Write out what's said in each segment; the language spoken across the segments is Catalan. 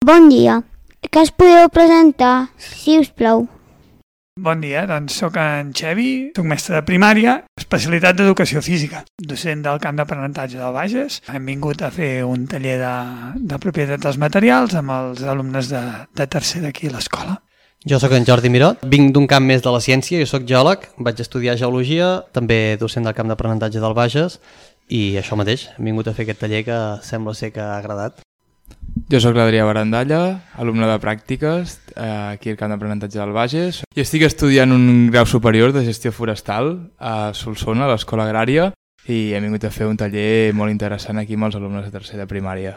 Bon dia. Què us podeu presentar, si us plau? Bon dia, doncs soc en Xevi, soc mestre de primària, especialitat d'educació física, docent del camp d'aprenentatge del Bages. Hem vingut a fer un taller de propietat dels materials amb els alumnes de tercer d'aquí a l'escola. Jo sóc en Jordi Miró, vinc d'un camp més de la ciència, jo sóc geòleg, vaig estudiar geologia, també docent del camp d'aprenentatge del Bages, i això mateix, hem vingut a fer aquest taller que sembla ser que ha agradat. Jo sóc l'Adrià Barandalla, alumne de pràctiques aquí al camp d'aprenentatge del Bages, i estic estudiant un grau superior de gestió forestal a Solsona, a l'Escola Agrària, i hem vingut a fer un taller molt interessant aquí amb els alumnes de tercer de primària.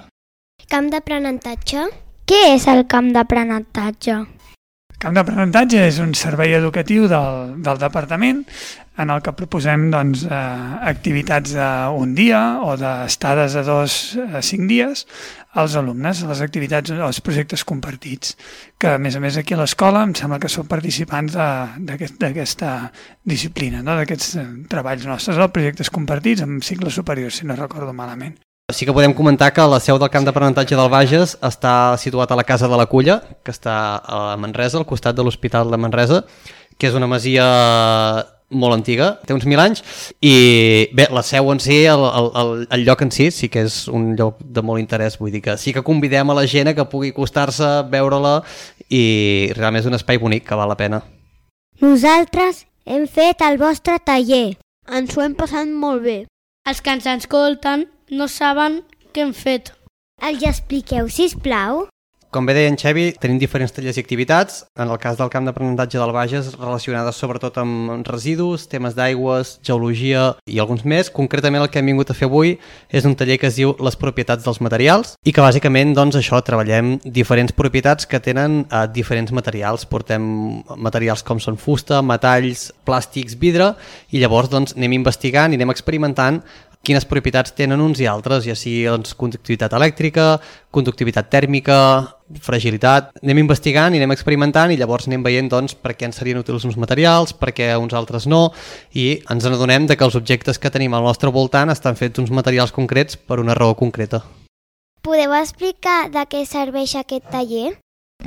Camp d'aprenentatge? Què és el camp d'aprenentatge? El camp d'aprenentatge és un servei educatiu del departament en el que proposem activitats d'un dia o d'estades de 2 a 5 dies als alumnes, les activitats o els projectes compartits, que a més aquí a l'escola em sembla que són participants d'aquesta disciplina, no? D'aquests treballs nostres, projectes compartits amb cicles superiors, si no recordo malament. Sí que podem comentar que la seu del camp d'aprenentatge del Bages està situat a la Casa de la Culla, que està a Manresa, al costat de l'Hospital de Manresa, que és una masia molt antiga, té uns 1000 anys, i bé, la seu en si, el lloc en si, sí que és un lloc de molt interès, vull dir que sí que convidem a la gent que pugui acostar-se, veure-la, i realment és un espai bonic que val la pena. Nosaltres hem fet el vostre taller. Ens ho hem passat molt bé. Els que ens escolten no saben què hem fet. Els expliqueu, sisplau? Com bé deia en Xevi, tenim diferents tallers i activitats. En el cas del camp d'aprenentatge del Bages, relacionades sobretot amb residus, temes d'aigües, geologia i alguns més. Concretament el que hem vingut a fer avui és un taller que es diu Les propietats dels materials i que bàsicament treballem diferents propietats que tenen diferents materials. Portem materials com són fusta, metalls, plàstics, vidre, i llavors anem investigant i anem experimentant quines propietats tenen uns i altres, ja sigui conductivitat elèctrica, conductivitat tèrmica, fragilitat. Anem investigant i anem experimentant i llavors anem veient per què ens serien útils uns materials, per què uns altres no, i ens adonem que els objectes que tenim al nostre voltant estan fets uns materials concrets per una raó concreta. Podeu explicar de què serveix aquest taller?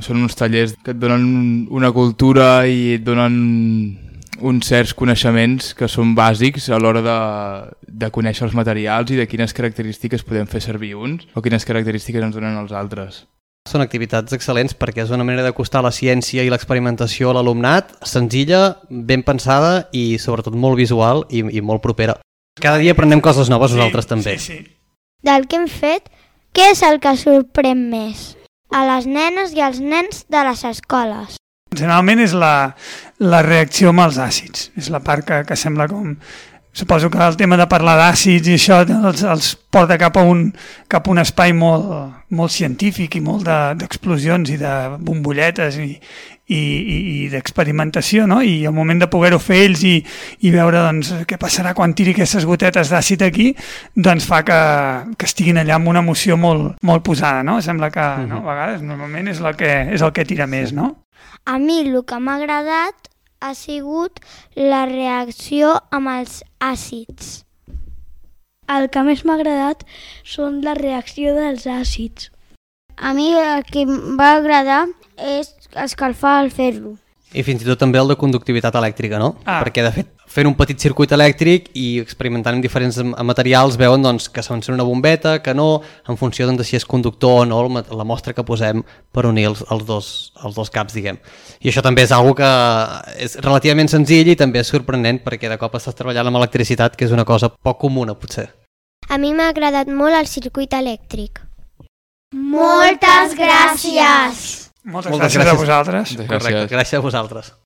Són uns tallers que et donen una cultura i et donen uns certs coneixements que són bàsics a l'hora de conèixer els materials i de quines característiques podem fer servir uns o quines característiques ens donen els altres. Són activitats excel·lents perquè és una manera d'acostar la ciència i l'experimentació a l'alumnat, senzilla, ben pensada i sobretot molt visual i molt propera. Cada dia aprenem coses noves nosaltres també. Sí. Del que hem fet, què és el que sorprèn més a les nenes i als nens de les escoles? Generalment és la reacció amb els àcids, és la part que sembla com... Suposo que el tema de parlar d'àcids i això els porta cap a un espai molt científic i molt d'explosions i de bombolletes i d'experimentació, no? I el moment de poder-ho fer ells i veure què passarà quan tiri aquestes gotetes d'àcid aquí, fa que estiguin allà amb una emoció molt posada, no? Sembla que no, a vegades normalment és el que tira més, no? A mi el que m'ha agradat ha sigut la reacció amb els àcids. El que més m'ha agradat són la reacció dels àcids. A mi el que em va agradar és escalfar al fer-lo. I fins i tot també el de conductivitat elèctrica, no? Perquè de fet fent un petit circuit elèctric i experimentant amb diferents materials veuen que s'encén una bombeta, que no, en funció de si és conductor o no la mostra que posem per unir els dos caps, diguem. I això també és una que és relativament senzill i també és sorprenent perquè de cop estàs treballant amb electricitat, que és una cosa poc comuna, potser. A mi m'ha agradat molt el circuit elèctric. Moltes gràcies! Moltes gràcies a vosaltres. Correcte, gràcies a vosaltres.